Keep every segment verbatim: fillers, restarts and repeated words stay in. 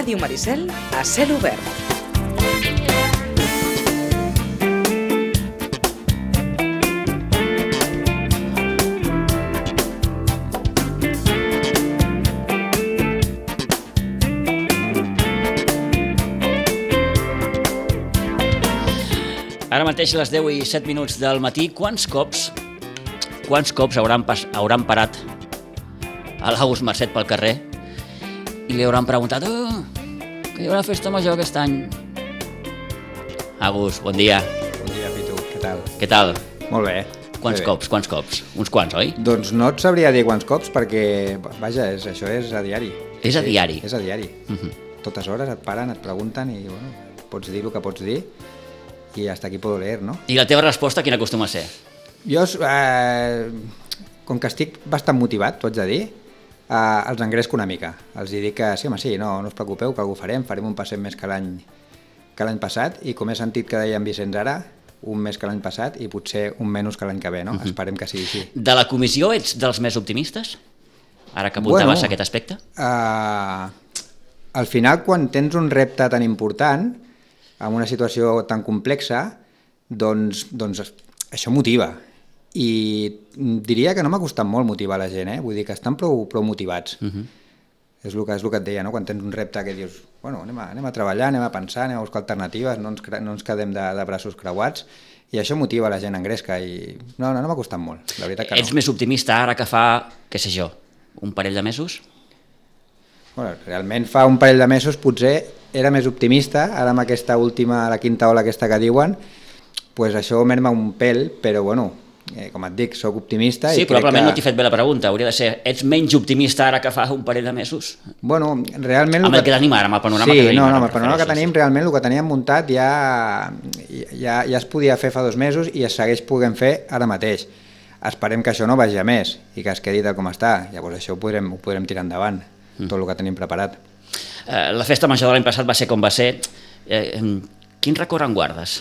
Ràdio Maricel a cel obert. Ara mateix a les deu i set minuts del matí, quants cops quants cops hauran, pas, hauran parat a l'August Marcet pel carrer i li hauran preguntat oh, que hi haurà festa major aquest any? August, bon dia. Bon dia, Pitu, què tal? Què tal? Molt bé. Quants bé. cops, quants cops? Uns quants, oi? Doncs no et sabria dir quants cops perquè, vaja, és, això és a diari. És a sí, diari? És a diari. Uh-huh. Totes hores et paren, et pregunten i, bueno, pots dir el que pots dir i hasta aquí puedo leer, no? I la teva resposta quina acostuma a ser? Jo, eh, com que estic bastant motivat, t'ho haig de dir, eh, els engresco una mica. Els hi dic que sí, home, sí, no, no us preocupeu, que algú farem, farem un passet més que l'any que l'any passat, i com he sentit que deia en Vicenç ara, un més que l'any passat i potser un menys que l'any que ve, no? Uh-huh. Esperem que sigui així. De la comissió ets dels més optimistes? Ara que apuntaves bueno, aquest aspecte? Uh, al final, quan tens un repte tan important, en una situació tan complexa, doncs, doncs això motiva. I diria que no m'ha costat molt motivar la gent, eh? Vull dir que estan prou, prou motivats. Uh-huh. És, el que, és el que et deia, no? Quan tens un repte que dius, bueno, anem a, anem a treballar, anem a pensar, anem a buscar alternatives, no ens, no ens quedem de, de braços creuats, i això motiva la gent, engresca, i no, no, no m'ha costat molt, la veritat que no. Ets més optimista ara que fa, què sé jo, un parell de mesos? Bueno, realment fa un parell de mesos potser era més optimista, ara amb aquesta última, la quinta ola aquesta que diuen, pues això merma un pèl, però bueno, eh, com et dic, soc optimista. Sí, i probablement que... no t'he fet bé la pregunta, hauria de ser, ets menys optimista ara que fa un parell de mesos? Bueno, realment... Amb el que tenim ara, amb el panorama sí, que tenim no, ara. No, amb el panorama que tenim, realment el que teníem muntat ja, ja, ja es podia fer fa dos mesos i es segueix podent fer ara mateix. Esperem que això no vagi a més i que es quedi tal com està, llavors això ho podrem, ho podrem tirar endavant, mm. tot el que tenim preparat. Eh, la festa major de l'any passat va ser com va ser. Eh, quin record en guardes?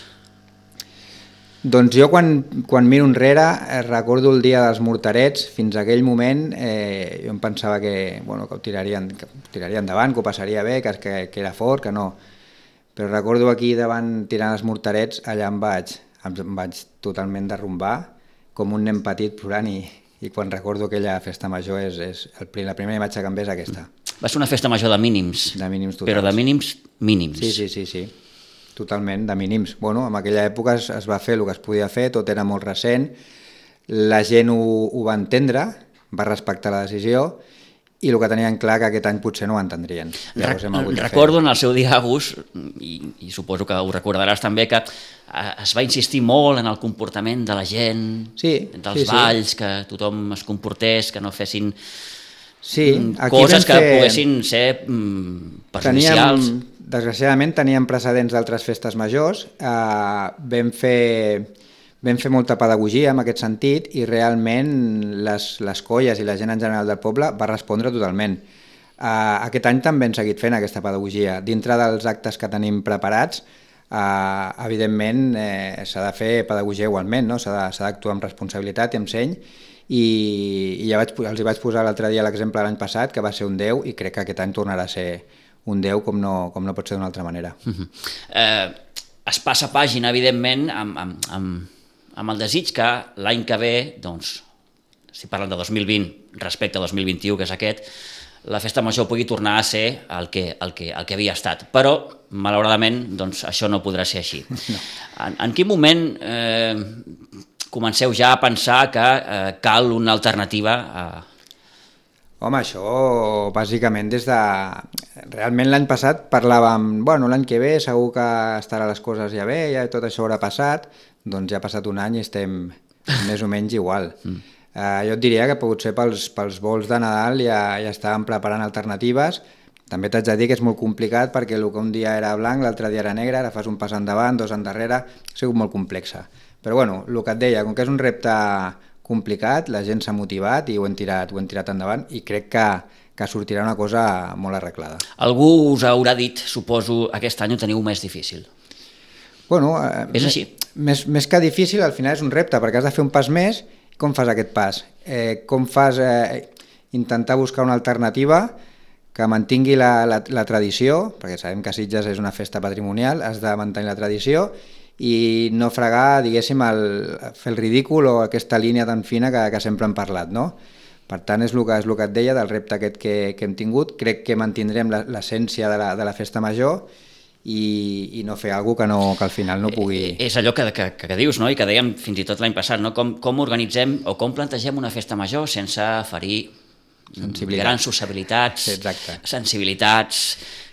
Doncs jo quan, quan miro enrere eh, recordo el dia dels morterets. Fins a aquell moment eh, jo em pensava que, bueno, que, ho tirarien, que ho tiraria endavant, que ho passaria bé, que, que, que era fort, que no. Però recordo aquí davant tirant els morterets, allà em vaig, em vaig totalment derrumbar, com un nen petit plorant, i, i quan recordo aquella festa major és, és el, la primera imatge que em ve és aquesta. Va ser una festa major de mínims, de mínims totals. Però de mínims mínims. Sí, sí, sí, sí. Totalment, de mínims. Bueno, en aquella època es, es va fer el que es podia fer, tot era molt recent, la gent ho, ho va entendre, va respectar la decisió, i el que tenien clar que aquest any potser no ho entendrien. Llavors hem hagut de Recordo fer. En el seu dia, August, i, i suposo que ho recordaràs també, que es va insistir molt en el comportament de la gent, sí, dels sí, balls, sí. que tothom es comportés, que no fessin sí, coses que fer... poguessin ser mm, perjudicials. Teníem, desgraciadament teníem precedents d'altres festes majors, eh, vam fer... Vam fer molta pedagogia en aquest sentit i realment les, les colles i la gent en general del poble va respondre totalment. Uh, aquest any també hem seguit fent aquesta pedagogia. Dintre dels actes que tenim preparats, uh, evidentment eh, s'ha de fer pedagogia igualment, no? S'ha d'actuar amb responsabilitat i amb seny, i, i ja vaig, els hi vaig posar l'altre dia l'exemple de l'any passat, que va ser un deu, i crec que aquest any tornarà a ser un deu com no, com no pot ser d'una altra manera. Uh-huh. uh, es passa pàgina, evidentment, amb... amb, amb... amb el desig que l'any que ve, doncs, si parlen de dos mil vint respecte a dos mil vint-i-u, que és aquest, la festa major pugui tornar a ser el que, el que, el que havia estat. Però, malauradament, doncs, això no podrà ser així. No. En, en quin moment eh, comenceu ja a pensar que eh, cal una alternativa a... Home, això bàsicament des de... Realment l'any passat parlàvem, bueno, l'any que ve segur que estarà les coses ja bé, ja tot això haurà passat, doncs ja ha passat un any i estem més o menys igual. Mm. Uh, jo et diria que potser pels, pels vols de Nadal ja, ja estàvem preparant alternatives. També t'haig de dir que és molt complicat perquè el que un dia era blanc, l'altre dia era negre, ara fas un pas endavant, dos endarrere, ha sigut molt complexa. Però bueno, el que et deia, com que és un repte complicat, la gent s'ha motivat i ho hem tirat, ho hem tirat endavant, i crec que, que sortirà una cosa molt arreglada. Algú us haurà dit, suposo, aquest any ho teniu més difícil. Bueno, eh, és així. Més, més que difícil, al final és un repte, perquè has de fer un pas més. Com fas aquest pas? Eh, com fas eh, intentar buscar una alternativa que mantingui la, la, la tradició, perquè sabem que Sitges és una festa patrimonial, has de mantenir la tradició i no fregar, diguéssim, el, fer el ridícul o aquesta línia tan fina que, que sempre hem parlat, no? Per tant, és el que, és el que et deia del repte aquest que, que hem tingut. Crec que mantindrem l'essència de, la, de la festa major i, i no fer alguna cosa que, no, que al final no pugui... Eh, és allò que, que, que dius, no? I que dèiem fins i tot l'any passat, no? Com, com organitzem o com plantegem una festa major sense ferir grans sociabilitats, sí, sensibilitats,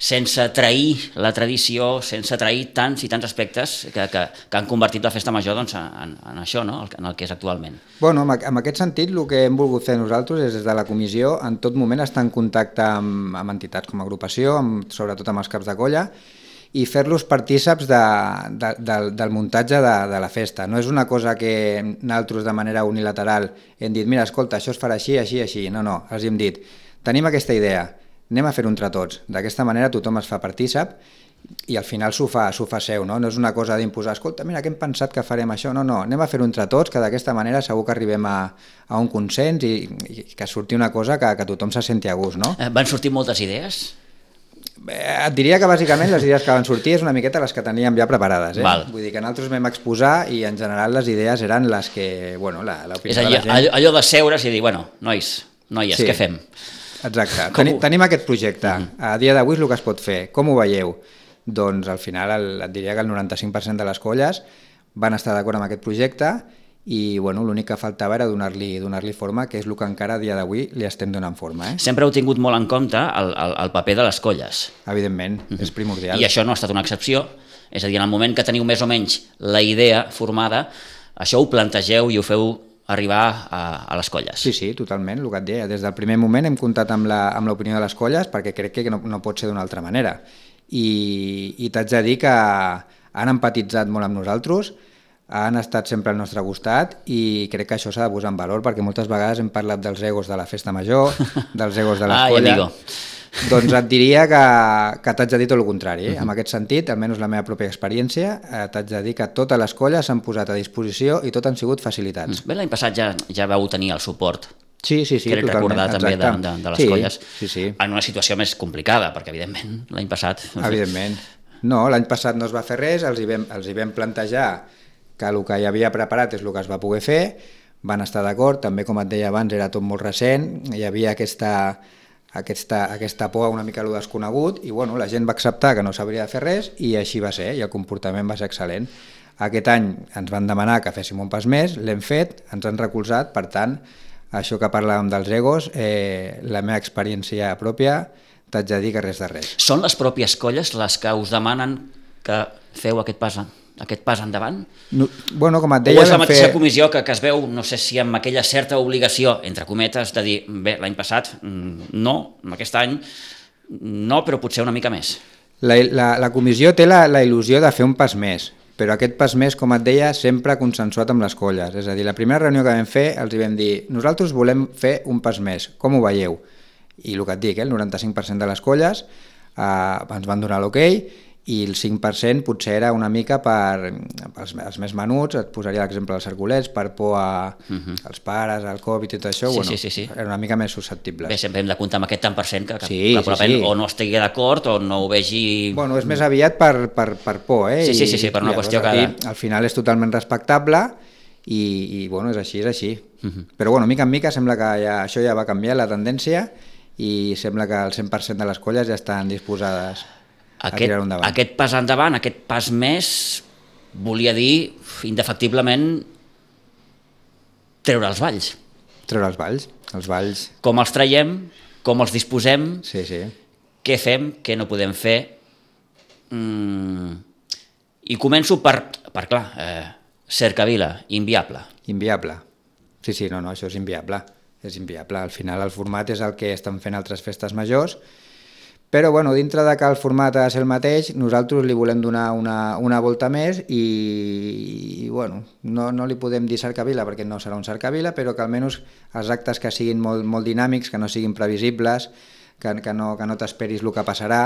sense trair la tradició, sense trair tants i tants aspectes que, que, que han convertit la festa major doncs, en, en això, no? En el que és actualment. Bueno, en aquest sentit, el que hem volgut fer nosaltres és des de la comissió en tot moment estar en contacte amb, amb entitats com a agrupació, amb, sobretot amb els caps de colla, i fer-los partíceps de, de, de, del muntatge de, de la festa. No és una cosa que nosaltres de manera unilateral hem dit, mira, escolta, això es farà així, així, així. No, no, els hem dit, tenim aquesta idea, anem a fer-ho entre tots. D'aquesta manera tothom es fa partícep i al final s'ho fa, s'ho fa seu, no? No és una cosa d'imposar, escolta, mira, que hem pensat que farem això. No, no, anem a fer-ho entre tots, que d'aquesta manera segur que arribem a, a un consens i, i que surti una cosa que, que tothom se senti a gust, no? Van sortir moltes idees? Et diria que bàsicament les idees que van sortir és una miqueta les que teníem ja preparades. Eh? Vull dir que nosaltres vam exposar i en general les idees eren les que, bueno, l'opinió de la gent... És allò de seure's i dir, bueno, nois, noies, sí. Què fem? Exacte, Tenim, tenim aquest projecte. A dia d'avui és el que es pot fer. Com ho veieu? Doncs al final el, et diria que el noranta-cinc per cent de les colles van estar d'acord amb aquest projecte i bueno, l'únic que faltava era donar-li donar-li forma, que és el que encara a dia d'avui li estem donant forma. Eh? Sempre heu tingut molt en compte el, el, el paper de les colles. Evidentment, uh-huh. És primordial. I això no ha estat una excepció, és a dir, en el moment que teniu més o menys la idea formada, això ho plantegeu i ho feu arribar a, a les colles. Sí, sí, totalment, el que et deia. Des del primer moment hem comptat amb l'opinió de les colles perquè crec que no, no pot ser d'una altra manera. I, i t'haig de dir que han empatitzat molt amb nosaltres, han estat sempre al nostre costat i crec que això s'ha de posar en valor perquè moltes vegades hem parlat dels egos de la festa major, dels egos de les Ai, colles. Amigo. Doncs et diria que, que t'haig de dir tot el contrari. Eh? Uh-huh. En aquest sentit, almenys la meva pròpia experiència, eh, t'haig de dir que totes les colles s'han posat a disposició i tot han sigut facilitats. Bé, l'any passat ja, ja vau tenir el suport. Sí, sí, sí, crec totalment. Recordar també de, de, de les sí, colles sí, sí. En una situació més complicada, perquè evidentment l'any passat... Evidentment. No, l'any passat no es va fer res, els hi vam, els hi vam plantejar que el que hi havia preparat és el que es va poder fer, van estar d'acord, també com et deia abans era tot molt recent, hi havia aquesta, aquesta, aquesta por a una mica lo desconegut i bueno, la gent va acceptar que no s'hauria de fer res i així va ser, i el comportament va ser excel·lent. Aquest any ens van demanar que féssim un pas més, l'hem fet, ens han recolzat, per tant, això que parlàvem dels egos, eh, la meva experiència pròpia, t'haig de dir que res de res. Són les pròpies colles les que us demanen que feu aquest pas aquest pas endavant? No, bueno, com et deia... O és la mateixa fer... comissió que, que es veu, no sé si amb aquella certa obligació, entre cometes, de dir, bé, l'any passat no, aquest any no, però potser una mica més. La, la, la comissió té la, la il·lusió de fer un pas més, però aquest pas més, com et deia, sempre consensuat amb les colles. És a dir, la primera reunió que vam fer els hi vam dir, nosaltres volem fer un pas més, com ho veieu? I el que et dic, eh, el noranta-cinc per cent de les colles eh, ens van donar l'ok, i el cinc per cent potser era una mica per els, els més menuts, et posaria l'exemple dels cerculets, per por a, uh-huh. als pares, al Covid i tot això, sí, bueno, sí, sí, sí. era una mica més susceptibles. Bé, sempre hem de comptar amb aquest tant per cent que, que, sí, que sí, sí. o no estigui d'acord o no ho vegi... Bueno, és més aviat per, per, per por, eh? Sí, sí, sí, sí, per una I, qüestió que... que... Al final és totalment respectable i, i bueno, és així, és així. Uh-huh. Però bueno, mica en mica sembla que ja, això ja va canviar la tendència i sembla que el cent per cent de les colles ja estan disposades aquest, aquest pas endavant, aquest pas més, volia dir indefectiblement treure els balls. Treure els balls, els balls. Com els traiem, com els disposem, sí, sí. Què fem, què no podem fer. Mm. I començo per, per clar, eh, Cercavila, inviable. Inviable. Sí, sí, no, no, això és inviable. És inviable. Al final el format és el que estan fent altres festes majors. Però bueno, dintre de que el format ha de ser el mateix, nosaltres li volem donar una, una volta més i, i bueno, no, no li podem dir cercavila perquè no serà un cercavila, però que almenys els actes que siguin molt, molt dinàmics, que no siguin previsibles, que, que no, que no t'esperis el que passarà,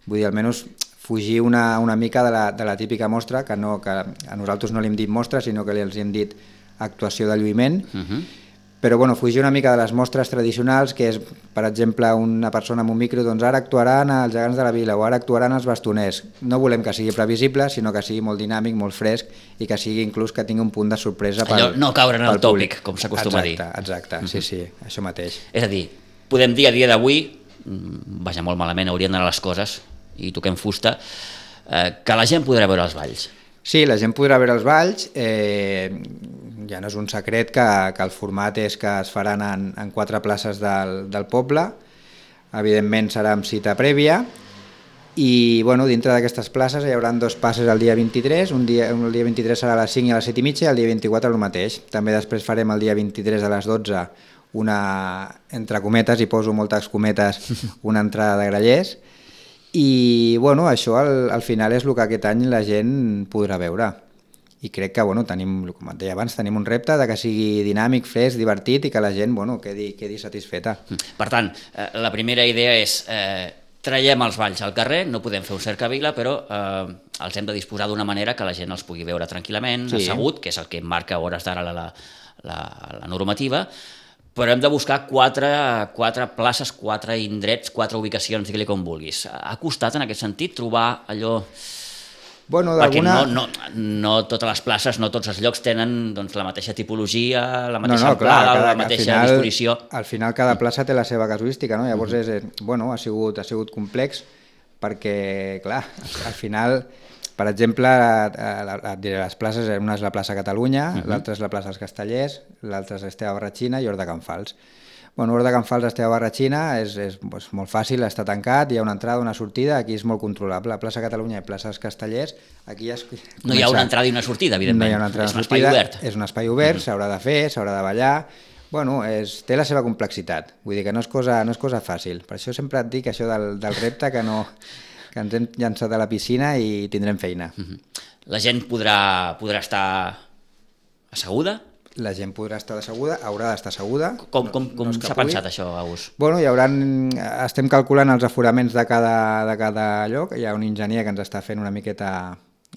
vull dir, almenys fugir una, una mica de la, de la típica mostra, que, no, que a nosaltres no li hem dit mostra, sinó que li els hem dit actuació de lluïment, uh-huh. però bueno, fugir una mica de les mostres tradicionals, que és, per exemple, una persona amb un micro, doncs ara actuaran els gegants de la vila o ara actuaran els bastoners. No volem que sigui previsible, sinó que sigui molt dinàmic, molt fresc i que sigui inclús que tingui un punt de sorpresa pel, Allò, no caure en el públic. tòpic, com s'acostuma a dir. Exacte, exacte, mm-hmm. sí, sí, això mateix. És a dir, podem dir a dia d'avui, vaja, molt malament, haurien d'anar les coses, i toquem fusta, eh, que la gent podrà veure els balls. Sí, la gent podrà veure els balls, eh, ja no és un secret que, que el format és que es faran en, en quatre places del, del poble, evidentment serà amb cita prèvia, i bueno, dintre d'aquestes places hi haurà dos passes el dia vint-i-tres, un dia, el dia vint-i-tres serà a les cinc i a les set i mitja i el dia vint-i-quatre el mateix. També després farem el dia vint-i-tres a les dotze una, entre cometes, i poso moltes cometes, una entrada de grallers, i bueno, això al, al final és el que aquest any la gent podrà veure. I crec que, bueno, tenim, com et deia abans, tenim un repte de que sigui dinàmic, fresc, divertit i que la gent, bueno, quedi, quedi satisfeta. Per tant, eh, la primera idea és eh, traiem els balls al carrer, no podem fer un cercavila, però eh, els hem de disposar d'una manera que la gent els pugui veure tranquil·lament, sí. assegut, que és el que marca a hores d'ara la, la, la, la normativa, però hem de buscar quatre, quatre places, quatre indrets, quatre ubicacions, digue-li com vulguis. Ha costat en aquest sentit trobar allò... Bueno, perquè no, no, no totes les places, no tots els llocs tenen doncs, la mateixa tipologia, la mateixa no, no, amplada, clar, cada, la mateixa final, disposició. Al final cada plaça té la seva casuística, no? Llavors és, bueno, ha sigut, ha sigut complex perquè, clar, al final, per exemple, et diré les places, una és la plaça Catalunya, uh-huh. l'altra és la plaça dels Castellers, l'altra és Esteve Barratxina i Hort de Can Fals. Bueno, Hort de Can Fals, Esteve Barratxina, és, és doncs, molt fàcil, està tancat, hi ha una entrada, una sortida, aquí és molt controlable. La plaça Catalunya i plaça dels Castellers, aquí ja es comença... No hi ha una entrada i una sortida, evidentment. No hi ha una entrada és i un una sortida, espai obert. És un espai obert, s'haurà de fer, s'haurà de ballar... Bueno, és, té la seva complexitat, vull dir que no és cosa, no és cosa fàcil. Per això sempre et dic això del, del repte, que, no, que ens hem llançat a la piscina i tindrem feina. La gent podrà, podrà estar asseguda? La gent podrà estar asseguda, haurà d'estar asseguda. Com, com, com no s'ha pensat això, Agus? Bueno, hi haurà, estem calculant els aforaments de cada, de cada lloc, hi ha un enginyer que ens està fent una miqueta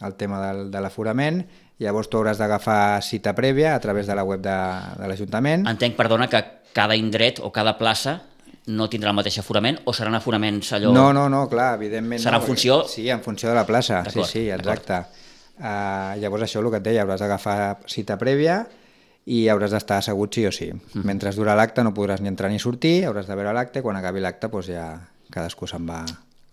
el tema del, de l'aforament, llavors tu hauràs d'agafar cita prèvia a través de la web de, de l'Ajuntament. Entenc, perdona, que cada indret o cada plaça no tindrà el mateix aforament o seran aforaments allò... No, no, no, clar, evidentment serà no. en funció... Sí, en funció de la plaça, sí, sí, exacte. Uh, llavors això, el que et deia, hauràs d'agafar cita prèvia i hauràs d'estar assegut sí o sí. Mm. Mentre dura l'acte no podràs ni entrar ni sortir, hauràs de veure l'acte, quan acabi l'acte doncs ja cadascú se'n va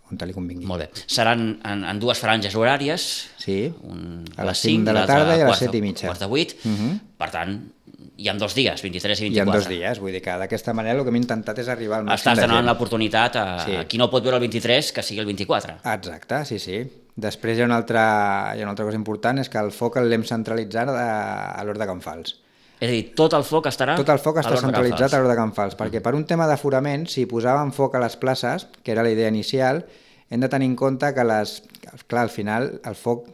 on li convingui. Molt bé. Seran en, en dues franges horàries, sí. un, a les cinc de la tarda i a les set i mitja. Quart de vuit, uh-huh. Per tant, hi ha dos dies, vint-i-tres i vint-i-quatre. Hi ha dos dies, vull dir que d'aquesta manera el que hem intentat és arribar al màxim Estàs de gent. Estàs donant l'oportunitat a, sí. a qui no pot veure el vint-i-tres que sigui el vint-i-quatre. Exacte, sí, sí. Després hi ha una altra, hi ha una altra cosa important, és que el foc l'hem centralitzat a, a l'Hort de Can Fals. És a dir, tot el foc estarà Tot el foc està centralitzat a l'Hort de Can Fals, perquè per un tema d'aforament, si posàvem foc a les places, que era la idea inicial, hem de tenir en compte que les, clar, al final el foc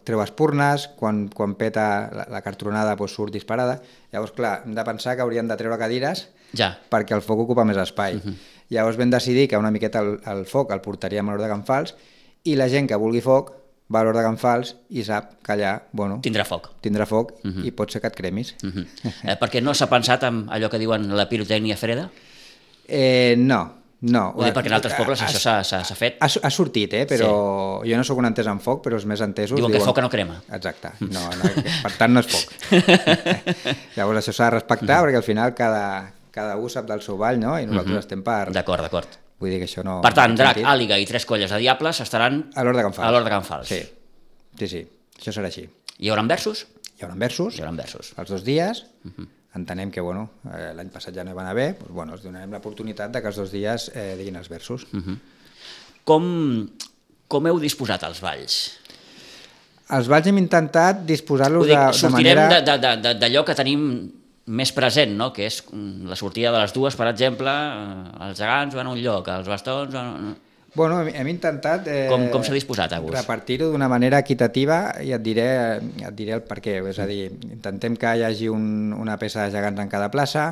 treu espurnes, quan, quan peta la, la cartronada doncs surt disparada, llavors clar, hem de pensar que haurien de treure cadires ja. Perquè el foc ocupa més espai. Uh-huh. Llavors vam decidir que una miqueta el, el foc el portaríem a l'Hort de Can Fals i la gent que vulgui foc va a l'Hort de Can Fals i sap que allà, bueno... Tindrà foc. Tindrà foc uh-huh. i pot ser que et cremis. Uh-huh. eh, perquè no s'ha pensat en allò que diuen la pirotècnia freda? Eh, no, no. Ho dic perquè en altres pobles això s'ha, s'ha, s'ha fet. Ha, ha sortit, eh, però sí. Jo no sóc un entès en foc, però els més entesos... Diuen, diuen que foc no crema. Exacte, no, no, per tant no és foc. Llavors això s'ha de respectar uh-huh. perquè al final cada, cada un sap del seu ball, no? I nosaltres uh-huh. estem per... D'acord, d'acord. Vull dir que això no... Per tant, Drac, Àliga i tres colles de diables estaran a l'Hort de Can Fals. A l'Hort de Can Fals. Sí, sí, sí, això serà així. Hi haurà versos? Hi haurà versos. Hi haurà versos. Els dos dies. Uh-huh. Entenem que, bueno, eh, l'any passat ja no hi van haver, doncs, bueno, els donarem l'oportunitat de que els dos dies eh, diguin els versos. Uh-huh. Com, com heu disposat els balls? Els balls hem intentat disposar-los de, de manera... Sortirem d'allò que tenim més present, no? Que és la sortida de les dues, per exemple, els gegants van a un lloc, els bastons van a... Bueno, hem, hem intentat eh, com, com s'ha disposat, Agus? Repartir-ho d'una manera equitativa i et diré, et diré el per què. És a dir, intentem que hi hagi un, una peça de gegants en cada plaça,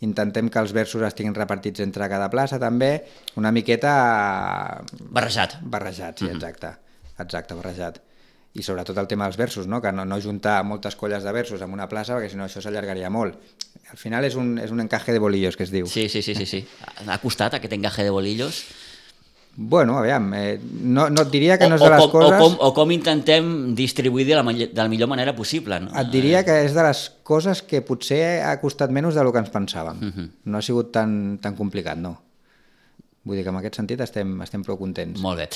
intentem que els versos estiguin repartits entre cada plaça també, una miqueta... Barrejat. Barrejat, sí, exacte. Exacte, barrejat. i sobretot el tema dels versos, no? Que no, no juntar moltes colles de versos en una plaça, perquè si no això s'allargaria molt. Al final és un, és un encaje de bolillos, que es diu. Sí, sí, sí, sí, sí. Ha costat aquest encaje de bolillos? Bueno, aviam, eh, no, no et diria que o, no és de les o com, coses... O com, o com intentem distribuir de la, de la millor manera possible, no? Et diria que és de les coses que potser ha costat menys del que ens pensàvem. Uh-huh. No ha sigut tan, tan complicat, no. Vull dir que en aquest sentit estem, estem prou contents. Molt bé.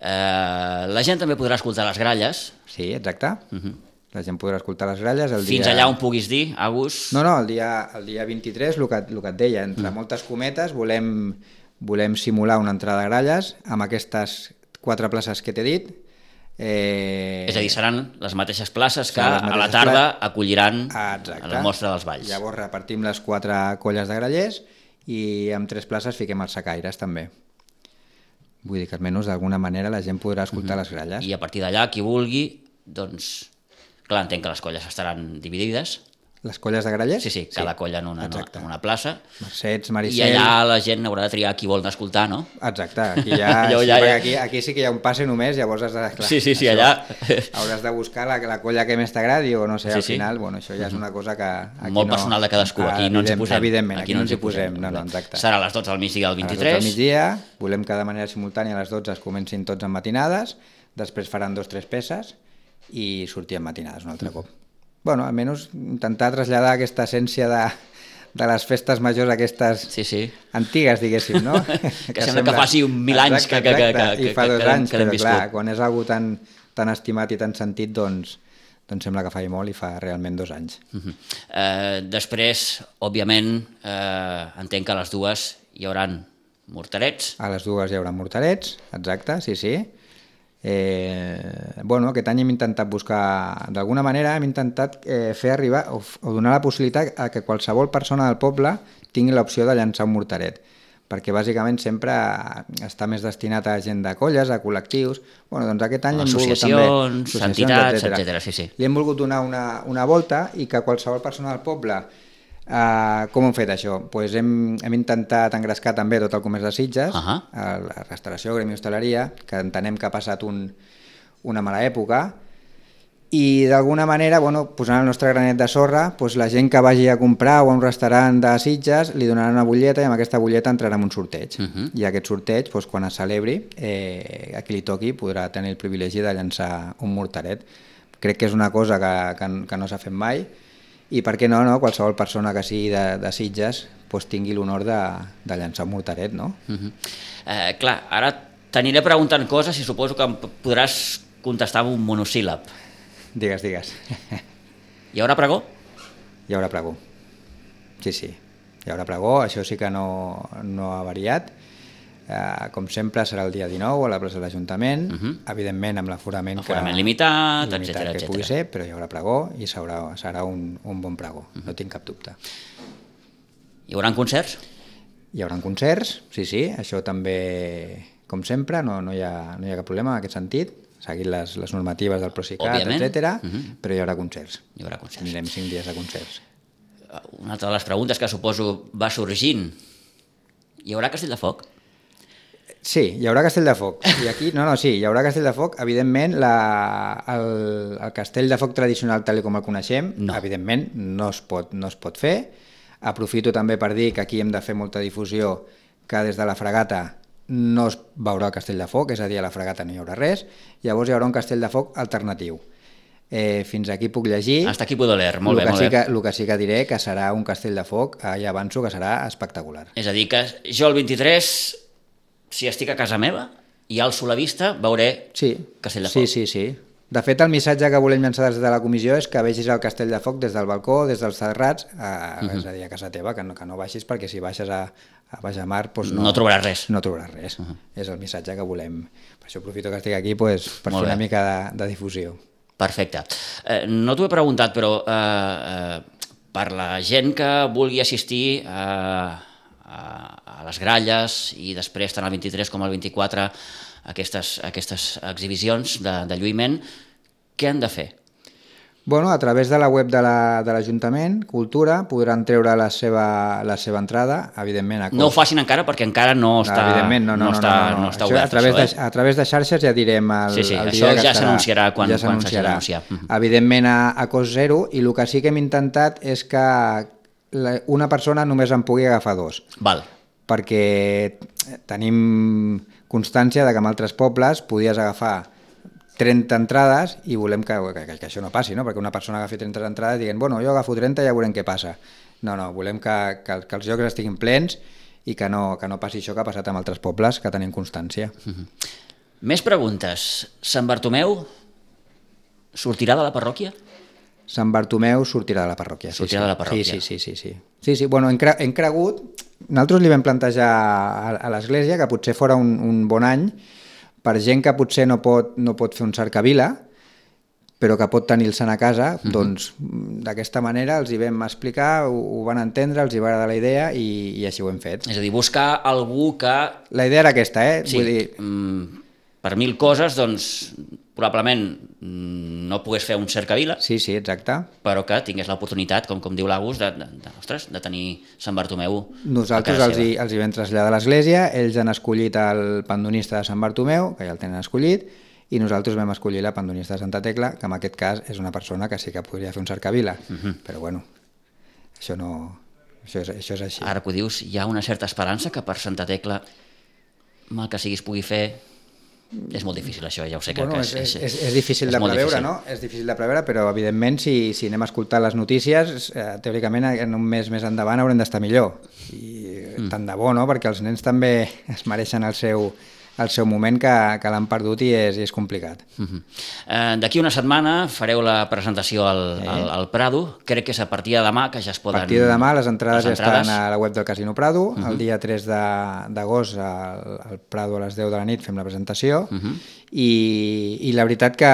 Uh, la gent també podrà escoltar les gralles. Sí, exacte. Uh-huh. La gent podrà escoltar les gralles el Fins dia... allà on puguis dir, Agus. No, no, el dia, el dia vint-i-tres, el que, el que et deia, entre mm. moltes cometes, volem, volem simular una entrada de gralles amb aquestes quatre places que t'he dit. Eh... És a dir, seran les mateixes places que mateixes a la tarda places. acolliran Exacte. a la mostra dels balls. Llavors repartim les quatre colles de grallers i amb tres places fiquem els sacaires també. Vull dir que almenys d'alguna manera la gent podrà escoltar mm-hmm. les gralles. I a partir d'allà, qui vulgui, doncs... Clar, entenc que les colles estaran dividides. Les colles de grallers? Sí, sí, cada sí. colla en una, en una plaça. Mercets, Maricel... I allà la gent haurà de triar qui vol escoltar, no? Exacte, aquí, ja, sí, ja, ja. Aquí, aquí sí que hi ha un passe només, llavors has de... Clar, sí, sí, sí, això, allà... Hauràs de buscar la, la colla que més t'agradi o no sé, sí, al sí. final, bueno, això ja és una cosa que... Aquí Molt no, personal de cadascú, aquí no ens hi posem. Evidentment, aquí, aquí no ens hi posem, no, no, exacte. Serà a les dotze del migdia del vint-i-tres. A les dotze del migdia, volem que de manera simultània a les dotze es comencin tots en matinades, després faran dos o tres peces i sortir en matinades un altre cop. Bueno, almenys intentar traslladar aquesta essència de, de les festes majors aquestes sí, sí. antigues, diguéssim, no? que, que sembla que faci un mil anys exacte, que, que, que, que, I fa que, dos que, anys, que però viscut. clar, quan és algú tan, tan estimat i tan sentit, doncs, doncs sembla que fa molt i fa realment dos anys. Uh-huh. uh, després, òbviament, uh, entenc que a les dues hi haurà morterets. A les dues hi haurà morterets, exacte, sí, sí. Eh, bueno, aquest any hem intentat buscar, d'alguna manera hem intentat eh, fer arribar o, o donar la possibilitat a que qualsevol persona del poble tingui l'opció de llançar un morteret, perquè bàsicament sempre està més destinat a gent de colles, a col·lectius. Bueno, doncs aquest any hem volgut també... Associacions, entitats, etcètera. Sí, sí. Li hem volgut donar una, una volta i que qualsevol persona del poble... Uh, com hem fet això? Pues hem, hem intentat engrescar també tot el comerç de Sitges, uh-huh. la restauració, gremi hostaleria, que entenem que ha passat un, una mala època, i d'alguna manera, bueno, posant el nostre granet de sorra, pues la gent que vagi a comprar o a un restaurant de Sitges li donaran una butlleta i amb aquesta butlleta entrarà en un sorteig. Uh-huh. I aquest sorteig, pues, quan es celebri, eh, a qui li toqui podrà tenir el privilegi de llançar un morteret. Crec que és una cosa que, que, que no s'ha fet mai, i per què no, no? Qualsevol persona que sigui de, de Sitges pues, tingui l'honor de, de llançar un morteret, no? Uh-huh. eh, clar, ara t'aniré preguntant coses i suposo que em podràs contestar amb un monosíl·lab. Digues, digues. Hi haurà pregó? Hi haurà pregó. Sí, sí. Hi haurà pregó, això sí que no, no ha variat. Uh, com sempre serà el dia dinou a la plaça de l'Ajuntament, uh-huh. evidentment amb l'aforament que, limitat, limitat etcètera, que pugui ser, però hi haurà pregó i serà, serà un, un bon pregó, uh-huh. no tinc cap dubte. Hi haurà concerts? Hi haurà concerts, sí, sí, això també, com sempre, no, no, hi, ha, no hi ha cap problema en aquest sentit, seguint les, les normatives del Procicat, etcètera, uh-huh. però hi haurà concerts. Hi haurà concerts. Tindrem cinc dies de concerts. Una altra de les preguntes que suposo va sorgint, hi haurà Castell de Foc? Sí, hi haurà Castell de Foc. I aquí, no, no, sí, hi haurà Castell de Foc. Evidentment, la, el, el Castell de Foc tradicional, tal com el coneixem, no. evidentment, no es, pot, no es pot fer. Aprofito també per dir que aquí hem de fer molta difusió, que des de la fregata no es veurà el Castell de Foc, és a dir, a la fregata no hi haurà res. Llavors hi haurà un Castell de Foc alternatiu. Eh, fins aquí puc llegir. Hasta aquí puedo leer, molt bé, molt sí bé. Que, el que sí que diré que serà un Castell de Foc, eh, ja avanço que serà espectacular. És a dir, que jo el vint-i-tres... si estic a casa meva i alço la vista, veuré sí. Castell de Foc. Sí, sí, sí. De fet, el missatge que volem llançar des de la comissió és que vegis el Castell de Foc des del balcó, des dels terrats, a, uh-huh. és a dir, a casa teva, que no, que no baixis, perquè si baixes a, a Bajamar... Doncs no, no trobaràs res. No trobaràs res. Uh-huh. És el missatge que volem. Per això aprofito que estic aquí doncs, per Molt fer una bé. mica de, de difusió. Perfecte. Eh, no t'ho he preguntat, però eh, eh, per la gent que vulgui assistir a... Eh, a les gralles i després tant el vint-i-tres com el vint-i-quatre aquestes, aquestes exhibicions de, de lluïment, què han de fer? Bueno, a través de la web de l'Ajuntament, la, Cultura, podran treure la seva, la seva entrada, evidentment. A cost. No ho facin encara perquè encara no està, no, evidentment, no, no, no, no, està, no, no, no. no està Això, obert. A través, això, de, a través de xarxes ja direm el, sí, sí, el dia dia que ja s'anunciarà quan, ja quan s'hagi d'anunciar. Evidentment a, a cost zero, i el que sí que hem intentat és que la, una persona només en pugui agafar dos. Val. Perquè tenim constància de que en altres pobles podies agafar trenta entrades i volem que, que, que això no passi, no? Perquè una persona agafi trenta entrades i diguen, bueno, jo agafo trenta i ja veurem què passa. No, no, volem que, que, que els llocs estiguin plens i que no, que no passi això que ha passat amb altres pobles, que tenim constància. Uh-huh. Més preguntes. Sant Bartomeu sortirà de la parròquia? Sant Bartomeu sortirà de la parròquia. Sortirà sí, sí. de la parròquia. Sí, sí, sí. sí, sí. sí, sí. Bueno, hem, cre hem cregut... Nosaltres li vam plantejar a, a l'Església que potser fora un, un bon any per gent que potser no pot, no pot fer un cercavila, però que pot tenir-se'n a casa, uh-huh. doncs d'aquesta manera els hi vam explicar, ho, ho van entendre, els hi va agradar la idea i, i així ho hem fet. És a dir, buscar algú que... La idea era aquesta, eh? Sí, Vull dir... per mil coses, doncs, probablement no pogués fer un cercavila, sí, sí, exacte. Però que tingués l'oportunitat, com, com diu l'Agus, de, de, de, ostres, de tenir Sant Bartomeu. Nosaltres els hi, els hi vam traslladar a l'església, ells han escollit el pandonista de Sant Bartomeu, que ja el tenen escollit, i nosaltres vam escollir la pandonista de Santa Tecla, que en aquest cas és una persona que sí que podria fer un cercavila, uh-huh. però bueno, això no... Això és, això és així. Ara que ho dius, hi ha una certa esperança que per Santa Tecla, mal que sigui, es pugui fer... És molt difícil això, ja ho sé que, bueno, que és, és, és, és difícil és de preveure, difícil. no? És difícil de preveure, però evidentment si, si anem a escoltar les notícies, eh, teòricament en un mes més endavant haurem d'estar millor. I mm. tant de bo, no? Perquè els nens també es mereixen el seu, el seu moment que, que l'han perdut i és, i és complicat. Mm-hmm. eh, D'aquí una setmana fareu la presentació al, eh. al, al Prado, crec que és a partir de demà que ja es poden... A partir de demà les entrades, les entrades... ja estan a la web del Casino Prado, mm-hmm. el dia tres d'agost al, al Prado a les deu de la nit fem la presentació, mm-hmm. I, i la veritat que,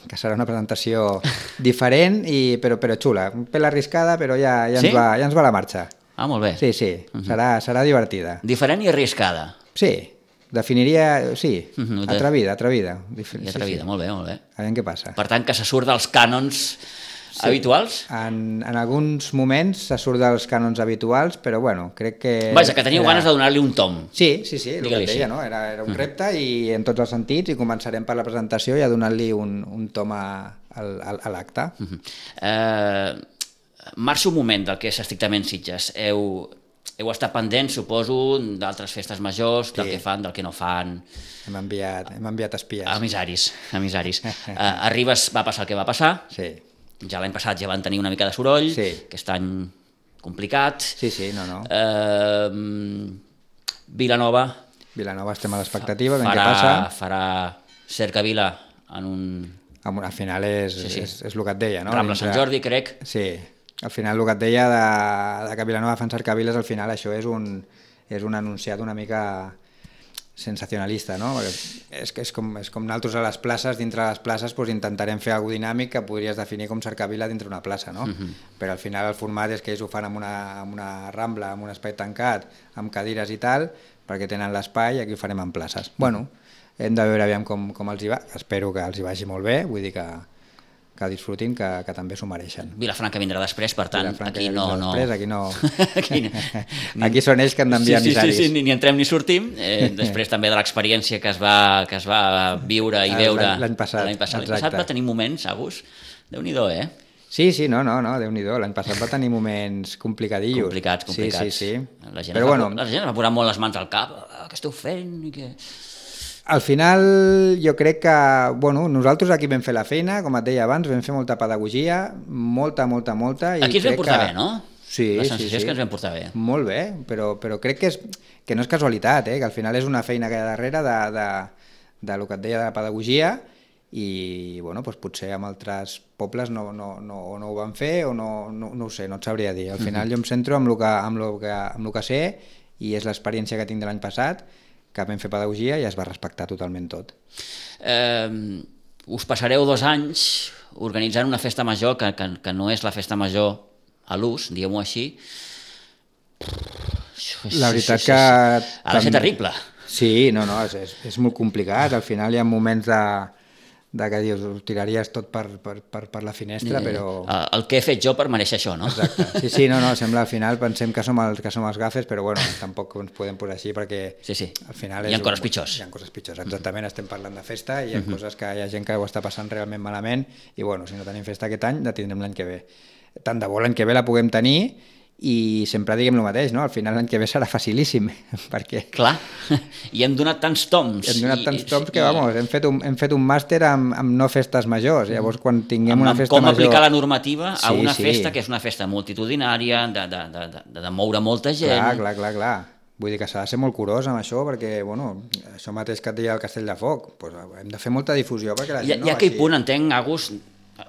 que serà una presentació diferent, i, però, però xula, un pèl arriscada, però ja, ja, ens sí? va, ja ens va la marxa. Ah, molt bé. Sí, sí, uh-huh. serà, serà divertida. Diferent i arriscada. Sí, definiria, sí, uh-huh. atrevida, atrevida. I atrevida, sí, sí. Molt bé, molt bé. A veure què passa. Per tant, que se surt dels cànons sí. habituals? En, en alguns moments se surt dels cànons habituals, però bueno, crec que... Vaja, que teniu era... ganes de donar-li un tom. Sí, sí, sí, el que deia, sí. no? Era, era un repte i en tots els sentits, i començarem per la presentació i a donar-li un, un tom a, a, a l'acte. Uh-huh. eh, marxo un moment del que és estrictament Sitges. Heu, heu estat pendents, suposo, d'altres festes majors, del sí. que fan, del que no fan... Hem enviat, hem enviat espies. Emissaris, emissaris. eh, a Ribes va passar el que va passar. Sí. Ja l'any passat ja van tenir una mica de soroll, sí. aquest any complicat. Sí, sí, no, no. Eh, Vilanova... Vilanova estem a l'expectativa, ben farà, què passa. Farà cercavila en un... Al final és, sí, sí. és, és el que et deia, no? Rambla Sant Jordi, crec. Sí, al final el que et deia de, de que Vilanova fan cercaviles, al final això és un, és un anunciat una mica sensacionalista, no? És, és, com, és com nosaltres a les places, dintre de les places doncs intentarem fer alguna dinàmic que podries definir com cercavila dintre una plaça, no? Uh-huh. Però al final el format és que ells ho fan amb una, amb una rambla, amb un espai tancat, amb cadires i tal, perquè tenen l'espai, i aquí ho farem en places. Bueno, hem de veure aviam com, com els hi va, espero que els hi vagi molt bé, vull dir que que disfrutin, que, que també s'ho mereixen. Vilafranca vindrà després, per tant, aquí no... no... Després, aquí no... aquí, no. aquí són ells que han d'enviar sí, sí, emissaris. Sí, sí, sí, ni entrem ni sortim. Eh, després també de l'experiència que es va que es va viure i veure l'any passat. L'any passat. passat va tenir moments, Agus, Déu-n'hi-do, eh? Sí, sí, no, no, no Déu-n'hi-do. L'any passat va tenir moments complicadillos. Complicats, complicats. Sí, sí, sí. La gent, Però, va, bueno, la gent va posar molt les mans al cap. Ah, què esteu fent? I què... Al final jo crec que, bueno, nosaltres aquí vam fer la feina, com et deia abans, vam fer molta pedagogia, molta, molta, molta. I aquí ens vam portar que... bé, no? Sí, la sensació sí, sí. és que ens vam portar bé. Molt bé, però, però crec que, és, que no és casualitat, eh? Que al final és una feina que hi ha darrere de, de, de lo que et deia de la pedagogia i, bueno, doncs potser amb altres pobles no, no, no, o no ho van fer o no, no, no ho sé, no et sabria dir. Al final jo em centro amb el que, amb lo que, amb lo que sé i és l'experiència que tinc de l'any passat, que vam fer pedagogia i es va respectar totalment tot. Eh, us passareu dos anys organitzant una festa major que, que, que no és la festa major a l'ús, diguem-ho així. La veritat que... Ha de ser terrible. Sí, no, no, és, és, és molt complicat. Al final hi ha moments de, de que dius, ho tiraries tot per, per, per, per la finestra, Eh, però... El que he fet jo per mereixer això, no? Exacte. Sí, sí, no, no, sembla al final, pensem que som els, que som els gafes, però bueno, tampoc ens podem posar així perquè Sí, sí. al final Hi ha és coses un- pitjors. Hi ha coses pitjors, exactament, estem parlant de festa i hi ha coses que hi ha gent que ho està passant realment malament i bueno, si no tenim festa aquest any, la tindrem l'any que ve. Tant de bo l'any que ve la puguem tenir i sempre diguem el mateix, no? Al final l'any que ve serà facilíssim, perquè Clar, i hem donat tants toms. hem donat i- tants i- toms que, i- vamos, hem fet un, hem fet un màster amb, amb no festes majors. Llavors, quan tinguem amb, una amb festa com major... aplicar la normativa a Sí, una sí. festa que és una festa multitudinària, de, de, de, de, de moure molta gent. Clar, clar, clar, clar. Vull dir que s'ha de ser molt curós amb això, perquè, bueno, això mateix que et deia el Castell de Foc, doncs hem de fer molta difusió perquè la Hi ha, gent hi ha no aquell vagi- punt, entenc, Agus,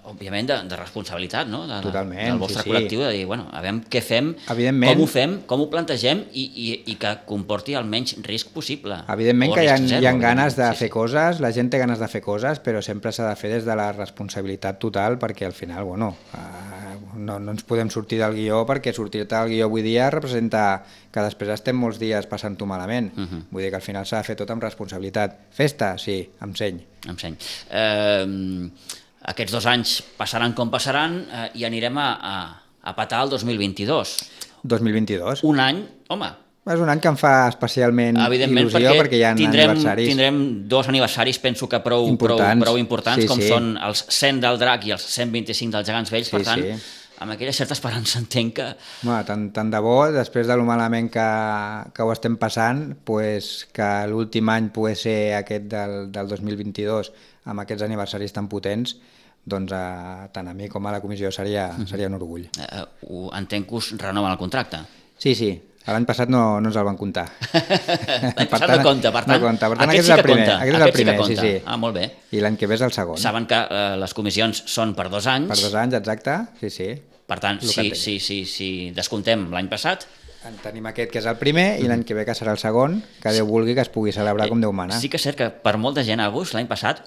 òbviament, de, de responsabilitat, no? De, de, Totalment, del vostre sí, sí. col·lectiu, de dir, bueno, a veure què fem, Evidentment. com ho fem, com ho plantegem i, i, i que comporti el menys risc possible. Evidentment O que hi ha, risc zero, hi ha evidentment. ganes de Sí, fer sí. coses, la gent té ganes de fer coses, però sempre s'ha de fer des de la responsabilitat total, perquè al final, bueno, eh, no, no ens podem sortir del guió, perquè sortir-te del guió avui dia representa que després estem molts dies passant-ho malament. Uh -huh. Vull dir que al final s'ha de fer tot amb responsabilitat. Festa, sí, amb seny. Em seny. Eh, aquests dos anys passaran com passaran eh, i anirem a, a, a petar el dos mil vint-i-dos. dos mil vint-i-dos. Un any, home, És un any que em fa especialment evidentment, il·lusió perquè, perquè hi ha tindrem, aniversaris. tindrem dos aniversaris, penso que prou importants, Importants. prou, prou importants Sí, com sí. són els cent del Drac i els cent vint-i-cinc dels Gegants Vells, Sí, per tant, sí. amb aquella certa esperança entenc que... Bueno, tant, tant de bo, després de lo malament que, que ho estem passant, pues, que l'últim any pugui ser aquest del, del dos mil vint-i-dos, amb aquests aniversaris tan potents, doncs a, tant a mi com a la comissió seria, seria un orgull. Eh, ho, entenc que us renoven el contracte. Sí, sí, l'any passat no, no ens el van comptar. L'any passat no compta, per tant, no compta. Per tant aquest aquest, sí és el que primer. compta. Aquest és el Aquest sí que primer, sí, compta. sí. Ah, molt bé. I l'any que ve és el segon. Saben que eh, les comissions són per dos anys, Per dos anys, exacte, sí, sí. per tant, El que si, entenc. si, si, si descomptem l'any passat, En tenim aquest que és el primer i l'any que ve que serà el segon, que Déu vulgui que es pugui celebrar com Déu mana. sí que és cert que per molta gent a August, l'any passat,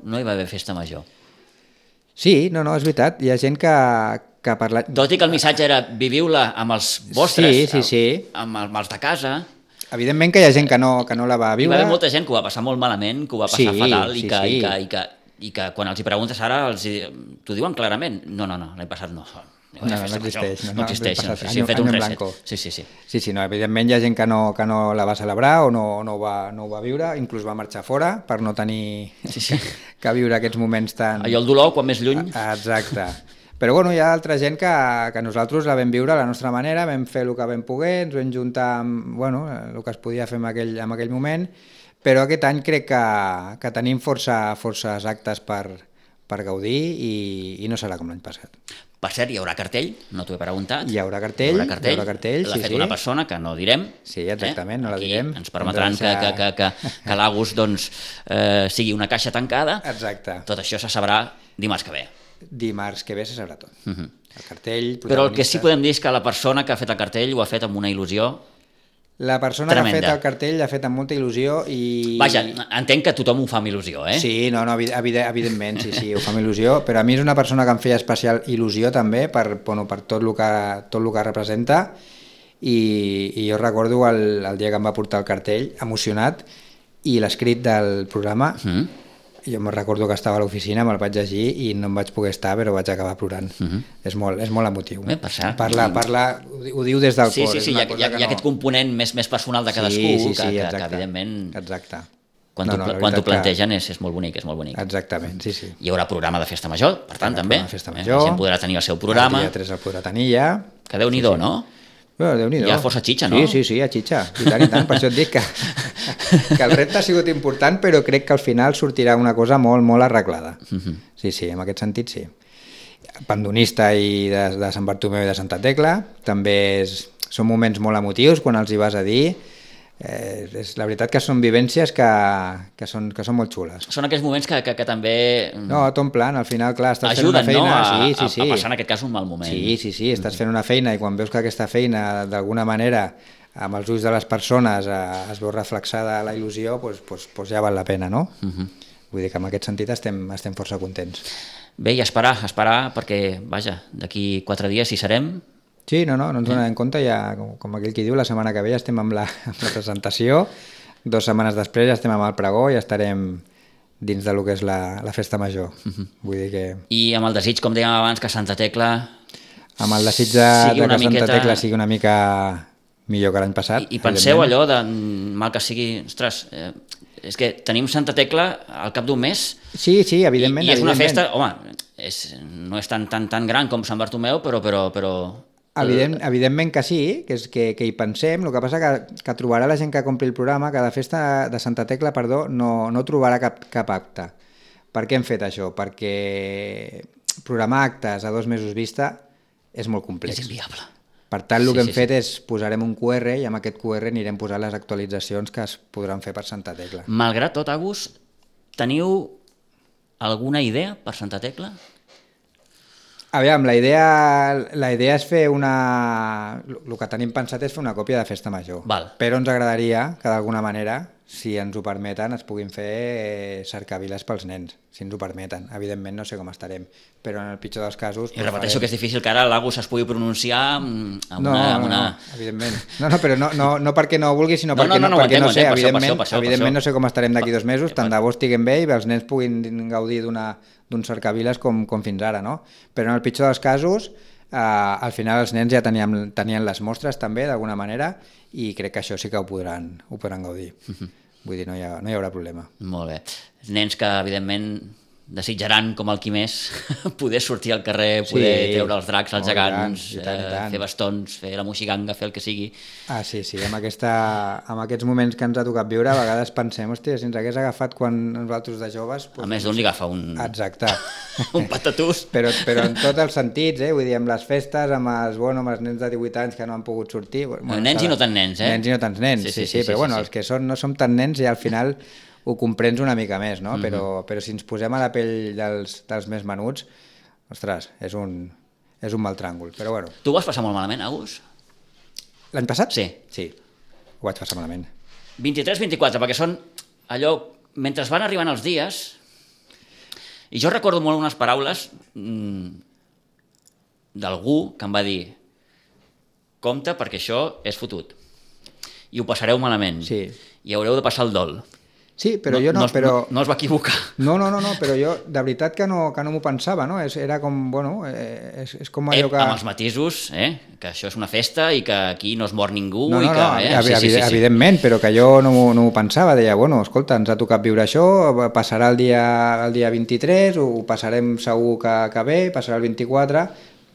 no hi va haver festa major. Sí, no, no, és veritat. Hi ha gent que, que parla... Tot i que el missatge era viviu-la amb els vostres, Sí, sí, sí. amb, amb els de casa. Evidentment que hi ha gent que no, que no la va Hi va viure. haver molta gent que ho va passar molt malament, que ho va passar Sí, fatal i, sí, que, sí. i, que, i, que, i que quan els hi preguntes ara els hi, t'ho diuen clarament. No, no, no, l'any passat no. No, No, no existeix, no, No, no, existeix, l'any no, passat, sí, sí, hem any- fet un any en reset. blanco. Sí, sí, sí. Sí, sí, no, evidentment hi ha gent que no, que no la va celebrar o no, no, ho va, no ho va viure, inclús va marxar fora per no tenir Sí, sí. que viure aquests moments tan... Allò el dolor, quan més lluny... Exacte. Però bueno, hi ha altra gent que, que nosaltres la vam viure a la nostra manera, vam fer el que vam poder, ens vam juntar amb bueno, el que es podia fer en aquell, en aquell moment, però aquest any crec que, que tenim força, forces actes per, per gaudir i, i no serà com l'any passat. Per cert, hi haurà cartell, no t'ho he preguntat. Hi haurà cartell, hi haurà cartell, hi haurà cartell, l'ha sí, fet sí. una persona que no direm. Sí, exactament, no la Aquí direm. ens permetran Hem de deixar- que, que, que, que, que l'Agus doncs, eh, sigui una caixa tancada. Exacte. Tot això se sabrà dimarts que ve. Dimarts que ve se sabrà tot. Uh -huh. El cartell, Però el que sí protagonistes. podem dir és que la persona que ha fet el cartell ho ha fet amb una il·lusió. La persona Tremenda. que ha fet el cartell l'ha fet amb molta il·lusió i... Vaja, entenc que tothom ho fa amb il·lusió, eh? Sí, no, no, evi- evi- evidentment, sí, sí, ho fa amb il·lusió, però a mi és una persona que em feia especial il·lusió també per, bueno, per tot, el que, tot el que representa i, i jo recordo el, el dia que em va portar el cartell emocionat i l'escrit del programa, Mm. jo me'n recordo que estava a l'oficina, me'l vaig llegir i no em vaig poder estar, però vaig acabar plorant. Uh -huh. és, molt, és molt emotiu. Bé, per cert. Parla, parla, ho di- ho diu des del Sí, cor. sí, és sí, hi una ha, cosa hi ha, que hi ha no- aquest component més, més personal de cadascú, sí, sí, sí, que, que, exacte. que evidentment, Exacte. quan No, t'ho no, no, la quan t'ho veritat que- plantegen és, és molt bonic, és molt bonic. Exactament, sí, sí. Hi haurà programa de festa major, per tant, Hi haurà també. programa de festa Eh, major. La gent podrà tenir el seu programa, El dia tres el podrà tenir ja. que Déu-n'hi-do, sí, sí. no? Bueno, Déu-n'hi-do. Hi ha força xitxa, no? Sí, sí, sí, hi ha xitxa. I tant, i tant. Per això et dic que, que el repte ha sigut important, però crec que al final sortirà una cosa molt, molt arreglada. Mhm. Sí, sí, en aquest sentit sí. Pandonista i de, de Sant Bartomeu i de Santa Tecla, també és, són moments molt emotius quan els hi vas a dir. Eh, és, la veritat que són vivències que, que, són, que són molt xules. Són aquells moments que, que, que també mm, No, tot en plan, al final, clar, estàs fent ajuden, una feina... no?, a, sí, sí, sí. a, a passar en aquest cas un mal moment. Sí, sí, sí, estàs fent una feina i quan veus que aquesta feina d'alguna manera amb els ulls de les persones eh, es veu reflexada la il·lusió, doncs, doncs, doncs ja val la pena, no? Uh -huh. Vull dir que en aquest sentit estem, estem força contents. Bé, i esperar, esperar, perquè, vaja, d'aquí quatre dies hi serem. Sí, no, no, no ens donem compte, ja, com, com aquell qui diu, la setmana que ve ja estem amb la, amb la presentació, dues setmanes després ja estem amb el pregó i ja estarem, dins de lo que és la, la festa major. Uh-huh. Vull dir que... I amb el desig, com dèiem abans, que Santa Tecla... Amb el desig de, de que miqueta... Santa Tecla sigui una mica millor que l'any passat. I, i penseu allò de, mal que sigui, ostres, eh, és que tenim Santa Tecla al cap d'un mes. Sí, sí, evidentment. I, i és evidentment. una festa, home, és, no és tan, tan, tan gran com Sant Bartomeu, però... però, però... Evident, evidentment que sí, que, és que, que hi pensem. El que passa que, que trobarà la gent que compri el programa que la festa de Santa Tecla, perdó, no, no trobarà cap, cap acte. Per què hem fet això? Perquè programar actes a dos mesos vista és molt complex. És inviable. Per tant, el sí, que hem sí, fet sí. és posarem un Q R i amb aquest Q R anirem posant les actualitzacions que es podran fer per Santa Tecla. Malgrat tot, Agus, teniu alguna idea per Santa Tecla? Aviam, la idea, la idea és fer una... El que tenim pensat és fer una còpia de Festa Major. Val. Però ens agradaria que d'alguna manera, si ens ho permeten, es puguin fer cercaviles pels nens, si ens ho permeten. Evidentment no sé com estarem, però en el pitjor dels casos... I repeteixo farem... que és difícil que ara l'Agus es pugui pronunciar amb una... No, amb una... no, no, evidentment. No, no, però no, no, no perquè no vulgui, sinó no, perquè no, no, no, perquè no sé, per evidentment, això, per això, per evidentment això. no sé com estarem d'aquí dos mesos, tant de bo estiguem bé i els nens puguin gaudir d'una d'un cercaviles com, com fins ara, no? Però en el pitjor dels casos, eh, al final els nens ja teníem, tenien les mostres també, d'alguna manera, i crec que això sí que ho podran, ho podran gaudir. Uh-huh. Vull dir, no hi, ha, no hi haurà problema. Molt bé. Nens que, evidentment, desitjaran, com el Quimés, poder sortir al carrer, poder sí, treure els dracs, els gegants, i tant, i tant. Eh, fer bastons, fer la moixiganga, fer el que sigui. Ah, sí, sí, amb, aquesta, amb aquests moments que ens ha tocat viure, a vegades pensem, hòstia, si ens hagués agafat quan nosaltres de joves... Doncs... A més d'un li agafa un... Exacte. un patatús. Però, però en tots els sentits, eh? Vull dir, amb les festes, amb els, bueno, amb els nens de divuit anys que no han pogut sortir... Bueno, nens cada... i no tan nens, eh? Nens i no tants nens, sí, sí, sí, sí, sí però sí, bueno, sí. Els que són, no som tan nens i al final... ho comprens una mica més, no? Mm-hmm. Però, però si ens posem a la pell dels, dels més menuts, ostres, és un, és un mal tràngol, però bueno. Tu ho vas passar molt malament, Agus? L'any passat? Sí. Sí, ho vaig passar malament. vint-i-tres vint-i-quatre, perquè són allò... Mentre van arribant els dies, i jo recordo molt unes paraules mmm, d'algú que em va dir compte perquè això és fotut i ho passareu malament sí. I haureu de passar el dol. Sí, però no, jo no, no, però... no, no es va equivocar. No, no, no, no, però jo de veritat que no, que no m'ho pensava, no? És, era com, bueno, eh, és, és com allò eh, que... Amb els matisos, eh? Que això és una festa i que aquí no es mor ningú no, no, i que... No, eh? no, sí, sí, sí, evidentment, sí. Però que jo no m'ho no pensava, deia, bueno, escolta, ens ha tocat viure això, passarà el dia, el dia vint-i-tres, ho passarem segur que, que bé, passarà el vint-i-quatre,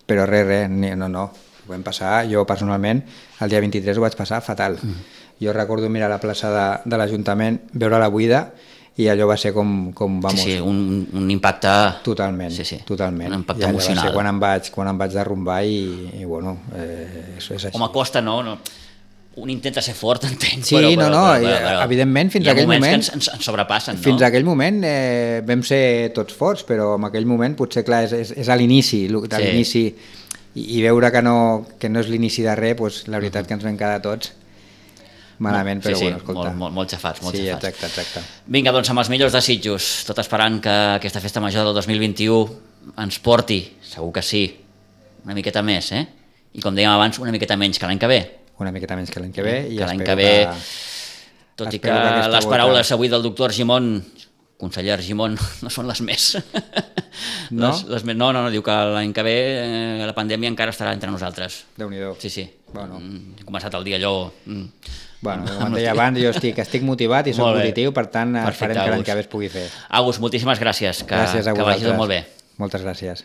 però res, res, no, no, ho vam passar, jo personalment, el dia vint-i-tres ho vaig passar fatal. Mm. Jo recordo mirar la plaça de, de l'Ajuntament, veure-la buida, i allò va ser com, com vamos... Sí, sí, un, un impacte... Totalment, sí, sí. totalment. Un impacte I emocional. Va ser quan em vaig, quan em vaig derrumbar i, i bueno, eh, és, és així. Home, costa, no? no. Un intenta ser fort, entenc, sí, però, no, però, no, però, però, però evidentment fins a aquell moment... Hi ha moments que ens, ens sobrepassen, no? Fins a aquell moment eh, vam ser tots forts, però en aquell moment potser, clar, és, és, és a l'inici, de sí. l'inici, i, i veure que no, que no és l'inici de res, doncs, la veritat que ens vam quedar tots malament, però sí, sí, bueno, escolta. Molt, molt, molt xafats, molt sí, xafats. Exacte, exacte. Vinga, doncs amb els millors desitjos, tot esperant que aquesta festa major del dos mil vint-i-u ens porti, segur que sí, una miqueta més, eh? I com dèiem abans, una miqueta menys que l'any que ve. Una miqueta menys que l'any que ve. Eh? I que l'any que ve, que... tot i que, que les paraules volta... avui del doctor Argimon, conseller Argimon, no són les més. No? Les, les més... No, no, no, diu que l'any que ve eh, la pandèmia encara estarà entre nosaltres. Déu-n'hi-do. Sí, sí. Bueno. He començat el dia allò... Bueno, com et deia abans, jo estic, estic motivat i soc positiu, per tant, perfecte, farem que l'any que ve es pugui fer. Agus, moltíssimes gràcies, que, gràcies a que vagi tot molt bé. Moltes gràcies.